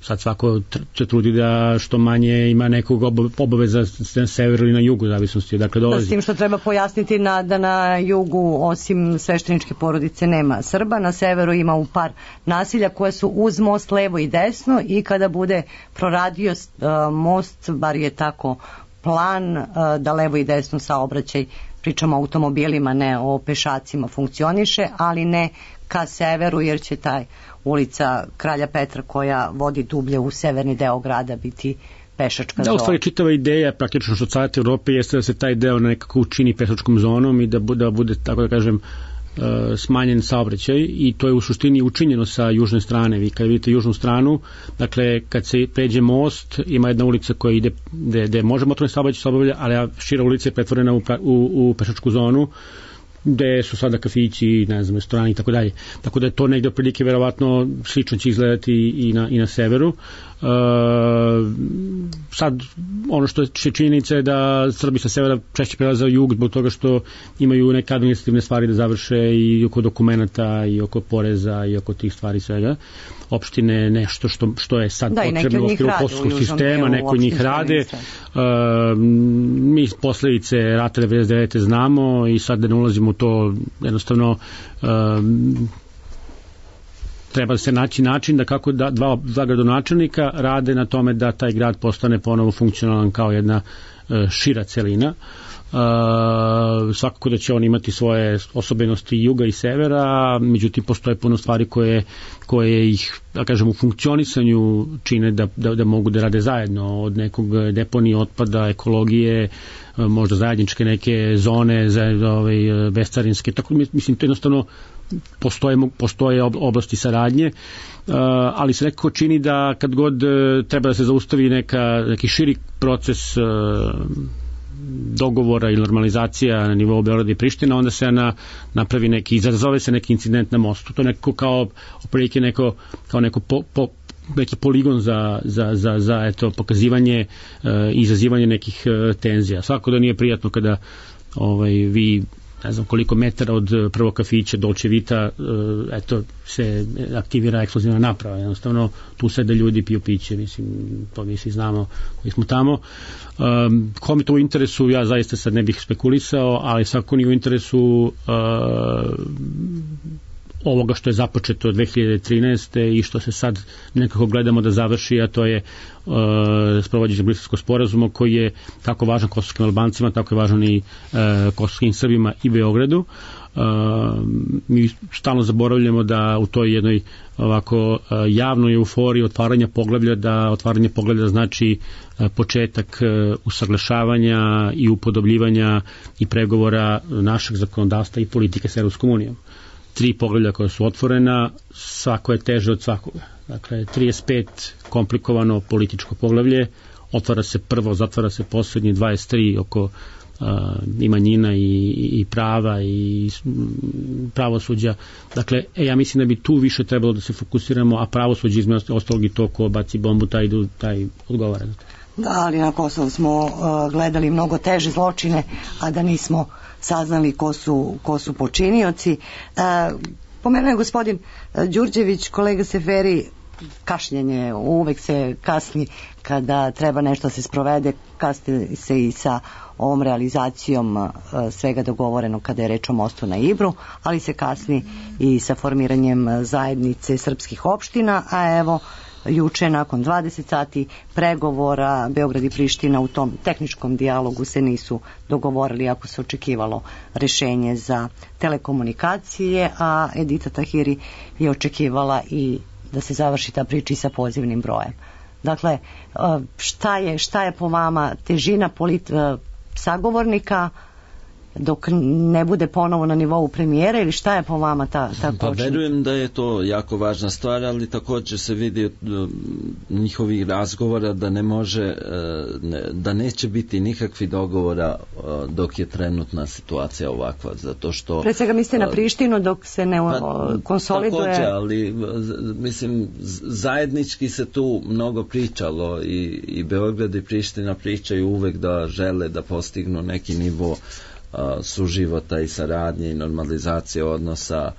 sad svako se trudi da što manje ima nekog obaveza na severu ili na jugu, zavisnosti odakle dolazi. Da, s tim što treba pojasniti na, da na jugu osim svešteničke porodice nema Srba, na severu ima u par nasilja koje su uz most levo i desno i kada bude proradio uh, most, bar je tako plan, uh, da levo i desno saobraćaj, pričamo o automobilima, ne o pešacima, funkcioniše, ali ne ka severu, jer će taj ulica Kralja Petra koja vodi dublje u severni deo grada biti pešačka zona. Da, u stvari čitava ideja praktično što Savjet Evrope jeste da se taj deo nekako učini pešačkom zonom i da bude, da bude tako da kažem, smanjen saobraćaj, i to je u suštini učinjeno sa južne strane. Vi kad vidite južnu stranu, dakle kad se pređe most, ima jedna ulica koja ide gde, gde može motorni saobraćaj se obavlja, ali šira ulica je pretvorena u, u, u pešačku zonu gde su sada kafići, ne znam, restorani i tako dalje. Tako da je to negde prilike verovatno slično će izgledati i na, i na severu. Uh, sad, ono što je činjenica je da Srbi sa severa češće prelaze u jug zbog toga što imaju neke administrativne stvari da završe i oko dokumenta i oko poreza i oko tih stvari svega. Opštine nešto što, što je sad da, potrebno u okviru poslovskog sistema, neko od njih rade. Uh, mi posledice rata devedeset devete znamo i sad da ne ulazimo u to, jednostavno uh, treba se naći način da kako da, dva, dva gradonačelnika rade na tome da taj grad postane ponovo funkcionalan kao jedna uh, šira celina. Uh, svakako da će on imati svoje osobenosti juga i severa, međutim postoje puno stvari koje, koje ih, da kažem, u funkcionisanju čine da, da, da mogu da rade zajedno, od nekog deponije otpada, ekologije, možda zajedničke neke zone za, ovaj, bescarinske, tako mislim to jednostavno postoje, postoje oblasti saradnje, uh, ali se nekako čini da kad god uh, treba da se zaustavi neka, neki širi proces uh, dogovora i normalizacija na nivou Beograda i Priština, onda se na, napravi neki, izazove se neki incident na mostu. To je neko kao, oprilike neko, kao neko po, po, neki poligon za, za, za, za eto, pokazivanje i e, izazivanje nekih e, tenzija. Svako da nije prijatno kada ovaj, vi ne znam koliko metara od prvog kafića Dolce Vita eto se aktivira eksplozivna naprava, jednostavno tu sede ljudi, piju piće, mislim, to mi svi znamo koji smo tamo. Um, ko mi to u interesu, ja zaista sad ne bih spekulisao, ali svako nije u interesu uh, ovoga što je započeto od dve hiljade trinaeste i što se sad nekako gledamo da završi, a to je uh, sprovođenje Briselskog sporazuma koji je tako važan kosovskim Albancima, tako je važan i uh, kosovskim Srbima i Beogradu. Uh, mi stalno zaboravljamo da u toj jednoj ovako uh, javnoj euforiji otvaranja poglavlja, da otvaranje poglavlja znači uh, početak uh, usaglašavanja i upodobljivanja i pregovora našeg zakonodavstva i politike s Evropskom unijom. Tri poglavlja koja su otvorena, svako je teže od svakoga. Dakle, trideset pet komplikovano političko poglavlje, otvara se prvo, zatvara se poslednji, dvadeset tri oko uh, i manjina i, i prava i pravosuđa. Dakle, e, ja mislim da bi tu više trebalo da se fokusiramo, a pravosuđe između ostalog i to ko baci bombu, taj, taj odgovara. Da, ali na Kosovu smo uh, gledali mnogo teže zločine, a da nismo saznali ko su, ko su počinioci. E, pomenuo je gospodin Đurđević, kolega Seferi, kašnjenje, uvek se kasni kada treba nešto se sprovede, kasni se i sa ovom realizacijom e, svega dogovoreno kada je reč o mostu na Ibru, ali se kasni i sa formiranjem zajednice srpskih opština, a evo juče nakon dvadeset sati pregovora Beograd i Priština u tom tehničkom dijalogu se nisu dogovorili ako se očekivalo rešenje za telekomunikacije, a Edita Tahiri je očekivala i da se završi ta priča sa pozivnim brojem. Dakle, šta je, šta je po vama težina polit, sagovornika dok ne bude ponovo na nivou premijera, ili šta je po vama ta, ta Pa kočnica? verujem da je to jako važna stvar, ali također se vidi od njihovih razgovora da ne može, da neće biti nikakvi dogovora dok je trenutna situacija ovakva, zato što... Pre svega mislite na Prištinu dok se ne pa, konsoliduje... Također, ali mislim, zajednički se tu mnogo pričalo i, i Beograd i Priština pričaju uvek da žele da postignu neki nivo suživota i saradnje i normalizacije odnosa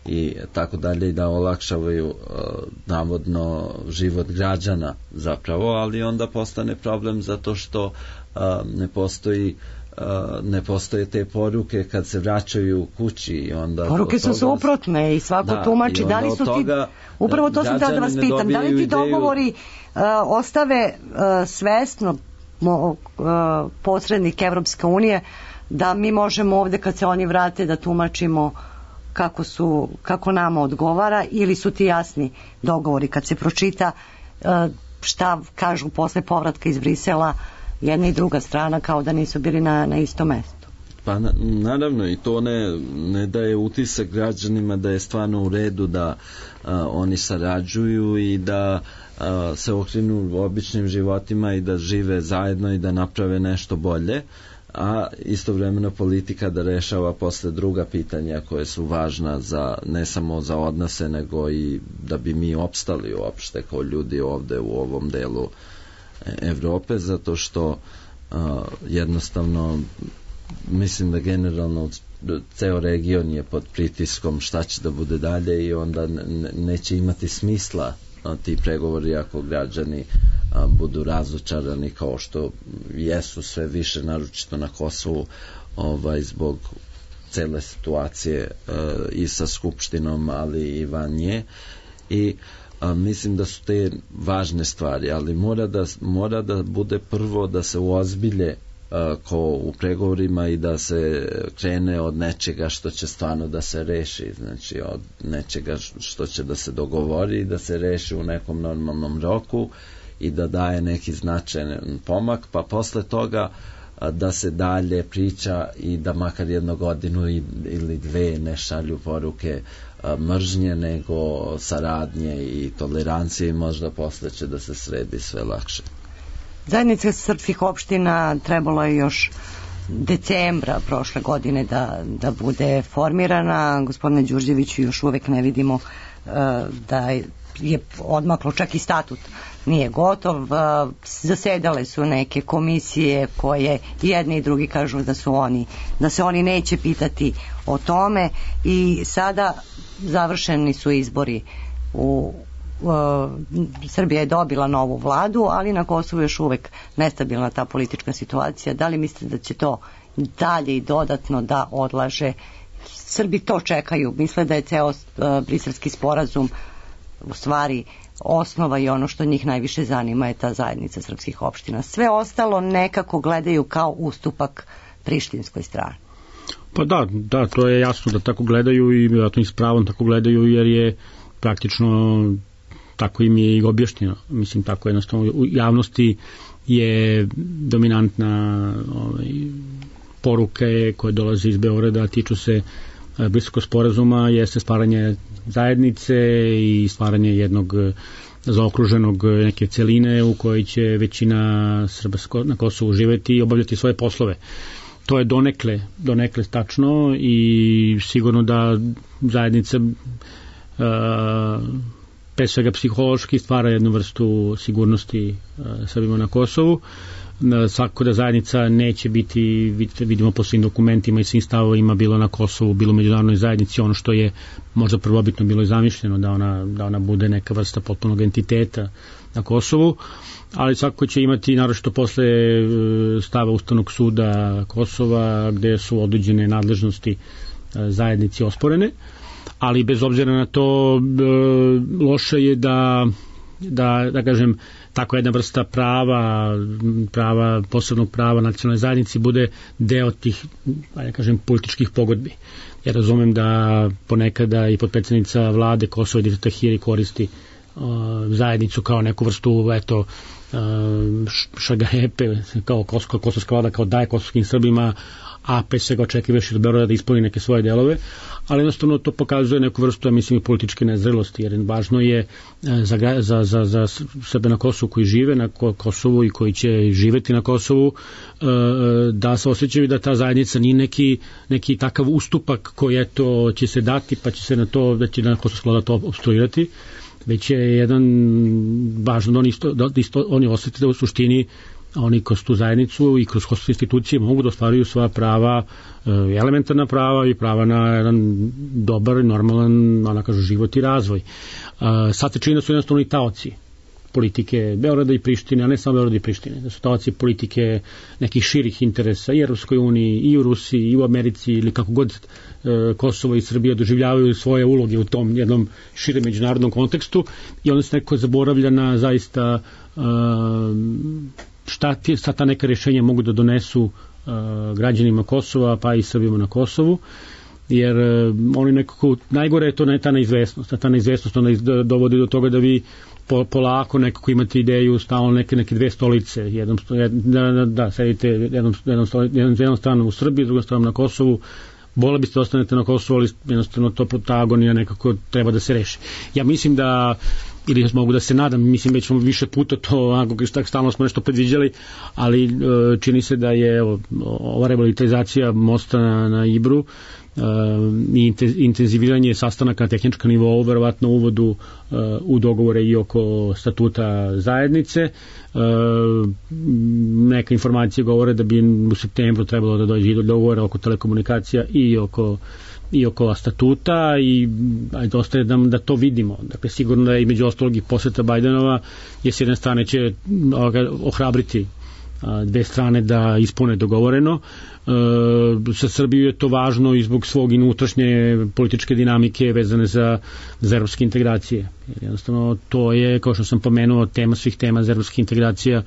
i tako dalje, i da olakšavaju navodno život građana zapravo, ali onda postane problem zato što ne postoji ne postoje te poruke kad se vraćaju kući i onda poruke su suprotne i svako da, tumači da li su toga, ti upravo to sam da vas pitam, da li ti dogovori uh, ostave uh, svesno uh, posrednik Evropske unije da mi možemo ovde kad se oni vrate da tumačimo kako su, kako nama odgovara, ili su ti jasni dogovori kad se pročita uh, šta kažu posle povratka iz Brisela jedna i druga strana kao da nisu bili na, na istom mestu? Pa na, naravno, i to ne, ne daje utisak građanima da je stvarno u redu da a, oni sarađuju i da a, se okrenu običnim životima i da žive zajedno i da naprave nešto bolje, a istovremeno politika da rešava posle druga pitanja koje su važna za, ne samo za odnose, nego i da bi mi opstali uopšte kao ljudi ovde u ovom delu Evrope, zato što uh, jednostavno mislim da generalno ceo region je pod pritiskom šta će da bude dalje i onda ne, neće imati smisla uh, ti pregovori ako građani uh, budu razočarani kao što jesu sve više, naročito na Kosovu, ovaj, zbog cele situacije uh, i sa Skupštinom, ali i van nje. I a, mislim da su te važne stvari, ali mora da, mora da bude prvo da se uozbilje a, ko u pregovorima i da se krene od nečega što će stvarno da se reši, znači od nečega što će da se dogovori i da se reši u nekom normalnom roku i da daje neki značajan pomak, pa posle toga a, da se dalje priča i da makar jednu godinu i, ili dve ne šalju poruke mržnje, nego saradnje i tolerancije i možda posle će da se sredi sve lakše. Zajednica srpskih opština trebalo je još decembra prošle godine da, da bude formirana. Gospodine Đurđeviću, još uvek ne vidimo uh, da je odmaklo, čak i statut nije gotov. Uh, zasedale su neke komisije koje jedni i drugi kažu da su oni, da se oni neće pitati o tome i sada završeni su izbori u uh, Srbija je dobila novu vladu, ali na Kosovu još uvek nestabilna ta politička situacija. Da li mislite da će to dalje i dodatno da odlaže? Srbi to čekaju, misle da je ceo uh, briselski sporazum u stvari osnova i ono što njih najviše zanima je ta zajednica srpskih opština. Sve ostalo nekako gledaju kao ustupak prištinskoj strani. Pa da, da, to je jasno da tako gledaju i vjerojatno i s pravom tako gledaju, jer je praktično tako im je i objašnjeno. Mislim, tako jednostavno u javnosti je dominantna ovaj, poruke koje dolaze iz Beograda, tiču se Briselskog sporazuma, jeste stvaranje zajednice i stvaranje jednog zaokruženog neke celine u kojoj će većina Srba na Kosovu živeti i obavljati svoje poslove. To je donekle, donekle tačno i sigurno da zajednica uh, pre svega psihološki stvara jednu vrstu sigurnosti uh, Srbima na Kosovu. Svako da zajednica neće biti, vidimo po svim dokumentima i svim stavovima, bilo na Kosovu, bilo u međunarodnoj zajednici, ono što je možda prvobitno bilo i zamišljeno, da ona, da ona bude neka vrsta potpunog entiteta na Kosovu, ali svako će imati, naročito posle stava Ustavnog suda Kosova, gde su određene nadležnosti zajednici osporene, ali bez obzira na to loše je da, da, da kažem, tako jedna vrsta prava, prava, posebnog prava nacionalne zajednici bude deo tih, da kažem, političkih pogodbi. Ja razumem da ponekada i potpredsednica vlade Kosova Edita Tahiri koristi uh, zajednicu kao neku vrstu, eto, Šagarepe kao kosovska vlada kao daje kosovskim Srbima, a pre svega očekivao od Beograda da ispuni neke svoje delove, ali jednostavno to pokazuje neku vrstu, ja mislim, i političke nezrelosti, jer važno je za, za, za, za Srbe na Kosovu koji žive na Kosovu i koji će živeti na Kosovu, da se osjećaju da ta zajednica nije neki, neki takav ustupak koji eto će se dati pa će se na to, da će na kosovska vlada to obstruirati, već je jedan važno da oni, isto, da isto, oni osjeti da u suštini oni kroz tu zajednicu i kroz kosovske institucije mogu da ostvaruju svoja prava, elementarna prava i prava na jedan dobar, normalan, ona kažu, život i razvoj. Sad se čini da su jednostavno i taoci politike Beograda i Prištine, a ne samo Beograda i Prištine, da su taoci politike nekih širih interesa i u Europskoj uniji, i u Rusiji, i u Americi, ili kako god Kosovo i Srbija doživljavaju svoje uloge u tom jednom širem međunarodnom kontekstu, i onda se neko zaboravlja na zaista šta, ti, šta ta neka rješenja mogu da donesu uh, građanima Kosova, pa i Srbima na Kosovu, jer uh, oni nekako, najgore je to ne, ta neizvesnost, ta neizvesnost ona iz, dovodi do toga da vi po, polako nekako imate ideju stalno neke, neke dve stolice, jednom, da, da, da sedite jednom, jednom, jednom, jednom stranom u Srbiji, drugom stranom na Kosovu, Bole biste ostanete na Kosovu, ali jednostavno to protagonija nekako treba da se reši. Ja mislim da, ili mogu da se nadam, mislim već smo više puta to, ako stalno smo nešto predviđali, ali čini se da je evo, ova revitalizacija mosta na, na Ibru i intenziviranje sastanaka na tehničkom nivou, verovatno uvodu u dogovore i oko statuta zajednice. Neka informacije govore da bi u septembru trebalo da dođe do dogovora oko telekomunikacija i oko i oko statuta, i ajde ostaje da, da to vidimo. Dakle, sigurno da je između ostalog i poseta Bajdenova je s jedne strane će ohrabriti dve strane da ispune dogovoreno. E, sa Srbiju je to važno i zbog svog unutrašnje političke dinamike vezane za, za evropske integracije. Jer jednostavno to je, kao što sam pomenuo, tema svih tema za evropske integracija.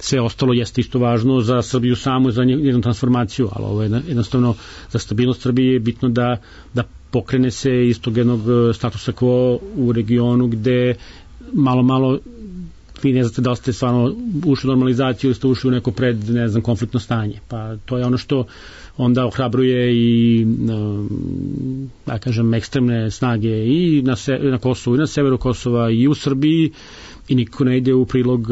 Sve ostalo jeste isto važno za Srbiju samu, za njenu transformaciju, ali ovo je jednostavno za stabilnost Srbije je bitno da, da pokrene se iz tog jednog statusa quo u regionu gde malo malo vi ne znate da ste stvarno ušli u normalizaciju ili ste ušli u neko pred, ne znam, konfliktno stanje. Pa to je ono što onda ohrabruje i da kažem ekstremne snage i na, se, na Kosovu i na severu Kosova i u Srbiji, i niko ne ide u prilog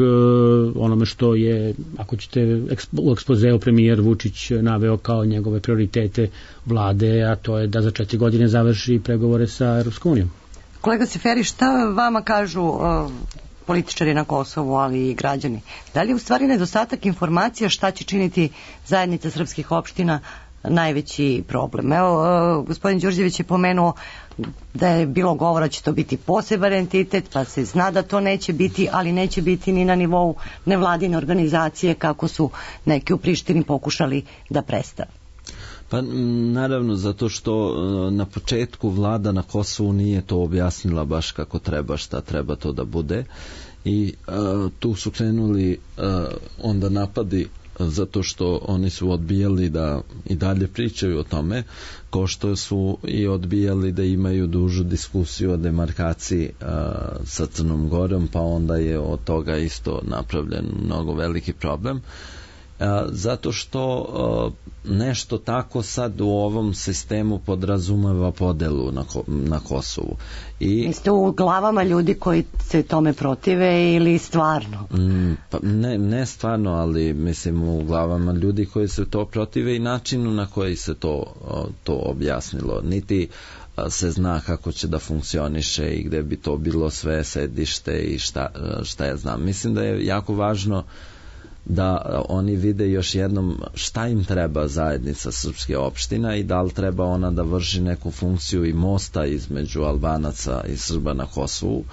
onome što je, ako ćete, u ekspozeu premijer Vučić naveo kao njegove prioritete vlade, a to je da za četiri godine završi pregovore sa Europskom unijom. Kolega Seferi, šta vama kažu uh, političari na Kosovu, ali i građani? Da li je u stvari nedostatak informacija šta će činiti zajednica srpskih opština najveći problem? Evo, uh, gospodin Đurđević je pomenuo da je bilo govora će to biti poseban entitet, pa se zna da to neće biti, ali neće biti ni na nivou nevladine organizacije kako su neki u Prištini pokušali da predstave. Pa naravno, zato što na početku vlada na Kosovu nije to objasnila baš kako treba, šta treba to da bude, i uh, tu su krenuli uh, onda napadi zato što oni su odbijali da i dalje pričaju o tome, kao što su i odbijali da imaju dužu diskusiju o demarkaciji uh, sa Crnom Gorom, pa onda je od toga isto napravljen mnogo veliki problem. Uh, zato što uh, nešto tako sad u ovom sistemu podrazumeva podelu na, na Kosovu. I jeste u glavama ljudi koji se tome protive ili stvarno? Mm, pa ne, ne stvarno, ali mislim u glavama ljudi koji se to protive i načinu na koji se to, to objasnilo. Niti se zna kako će da funkcioniše i gde bi to bilo sve sedište i šta, šta ja znam. Mislim da je jako važno da oni vide još jednom šta im treba zajednica srpske opština i da li treba ona da vrši neku funkciju i mosta između Albanaca i Srba na Kosovu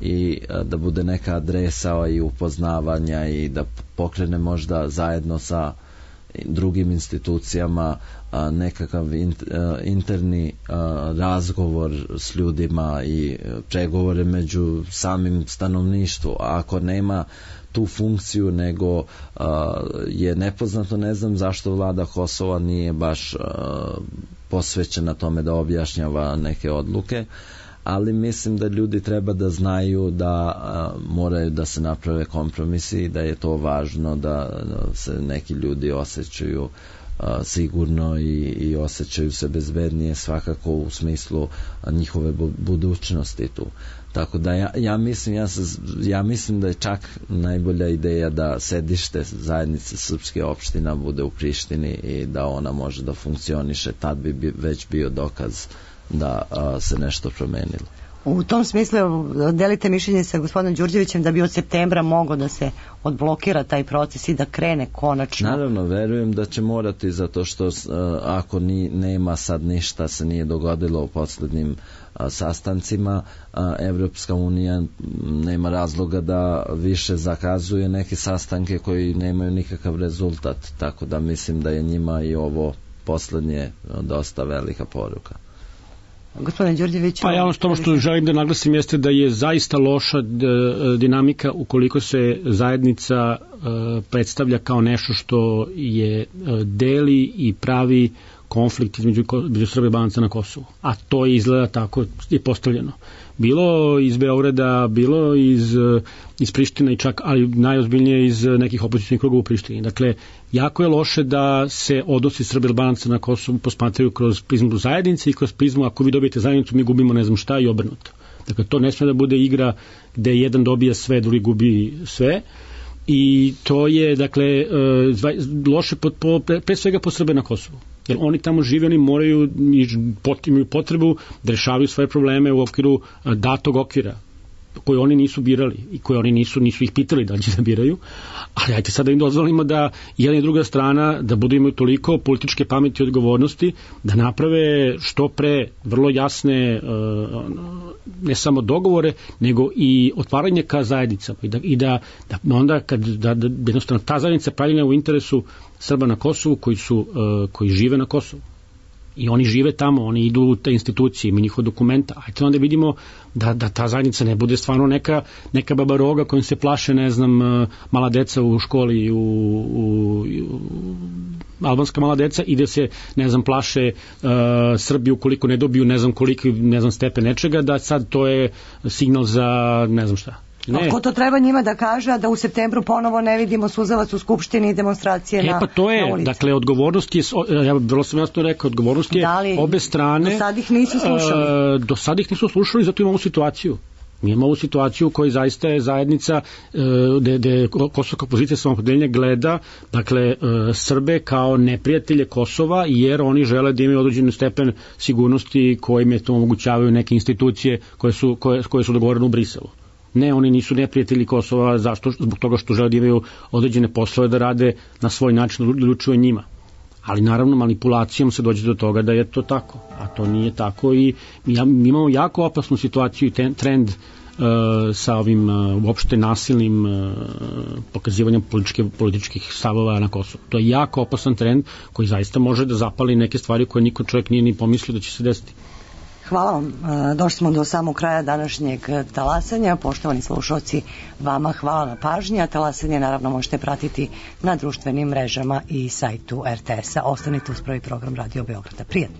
i da bude neka adresa i upoznavanja i da pokrene možda zajedno sa drugim institucijama nekakav interni razgovor s ljudima i pregovore među samim stanovništvom. A ako nema tu funkciju, nego uh, je nepoznato, ne znam zašto vlada Kosova nije baš uh, posvećena tome da objašnjava neke odluke, ali mislim da ljudi treba da znaju da a, moraju da se naprave kompromisi i da je to važno da, da se neki ljudi osjećaju a, sigurno i, i osjećaju se bezbednije svakako u smislu a, njihove bu, budućnosti tu. Tako da ja, ja mislim ja, se, ja mislim da je čak najbolja ideja da sedište zajednice srpske opština bude u Prištini i da ona može da funkcioniše, tad bi, bi već bio dokaz da a, se nešto promenilo. U tom smislu delite mišljenje sa gospodinom Đurđevićem da bi od septembra mogao da se odblokira taj proces i da krene konačno. Naravno, verujem da će morati, zato što uh, ako ni, nema sad ništa se nije dogodilo u poslednjim uh, sastancima, uh, Evropska unija nema razloga da više zakazuje neke sastanke koji nemaju nikakav rezultat, tako da mislim da je njima i ovo poslednje uh, dosta velika poruka. Gospodin Đurđević, pa ja ono što, što želim da naglasim jeste da je zaista loša d, dinamika ukoliko se zajednica e, predstavlja kao nešto što je e, deli i pravi konflikt između, između Srbije i Albanaca na Kosovu, a to je izgleda tako i postavljeno. Bilo iz Beograda, bilo iz, iz Prištine i čak, ali najozbiljnije iz nekih opozicijnih krugova u Prištini. Dakle, jako je loše da se odnosi Srbije i Albanaca na Kosovu posmatraju kroz prizmu zajednice i kroz prizmu ako vi dobijete zajednicu mi gubimo ne znam šta i obrnuto. Dakle, to ne sme da bude igra gde jedan dobija sve, drugi gubi sve. I to je, dakle, loše po, po, pre svega po Srbe na Kosovu. Jer oni tamo žive, oni moraju, imaju potrebu da rešavaju svoje probleme u okviru datog okvira koje oni nisu birali i koje oni nisu, nisu ih pitali da li će da biraju, ali ajte sad da im dozvolimo da jedna i druga strana da budu imaju toliko političke pameti i odgovornosti da naprave što pre vrlo jasne ne samo dogovore, nego i otvaranje ka zajednicama i da, i da, da onda kad da, da jednostavno ta zajednica pravljena u interesu Srba na Kosovu koji su koji žive na Kosovu. I oni žive tamo, oni idu u te institucije, ima njihova dokumenta. Ajde onda vidimo da, da ta zajednica ne bude stvarno neka, neka baba roga kojim se plaše, ne znam, mala deca u školi, u, u, u albanska mala deca i da se, ne znam, plaše uh, Srbiju koliko ne dobiju, ne znam koliko, ne znam, stepen nečega, da sad to je signal za ne znam šta. Ne. Ko to treba njima da kaže, da u septembru ponovo ne vidimo suzavac u skupštini i demonstracije e, na, pa to je, na ulici. Dakle, odgovornost je, ja vrlo sam jasno rekao, odgovornost je da li, obe strane. Do sad ih nisu slušali. Uh, do sad ih nisu slušali, zato imamo situaciju. Mi imamo ovu situaciju u kojoj zaista je zajednica gde, gde kosovska opozicija samoopredeljenja gleda, dakle, Srbe kao neprijatelje Kosova, jer oni žele da imaju određen stepen sigurnosti kojim je to omogućavaju neke institucije koje su, koje, koje su dogovorene u Briselu. Ne, oni nisu neprijatelji Kosova, zašto? Zbog toga što žele da imaju određene poslove da rade na svoj način, da odlučuju njima. Ali naravno manipulacijom se dođe do toga da je to tako, a to nije tako i mi imamo jako opasnu situaciju i ten, trend uh, sa ovim uh, uopšte nasilnim uh, pokazivanjem političke, političkih stavova na Kosovu. To je jako opasan trend koji zaista može da zapali neke stvari koje niko čovjek nije ni pomislio da će se desiti. Hvala vam. Došli smo do samog kraja današnjeg talasanja. Poštovani slušalci, vama hvala na pažnji, a talasanje naravno možete pratiti na društvenim mrežama i sajtu er te es-a. Ostanite uz prvi program Radio Beograda. Prijatno.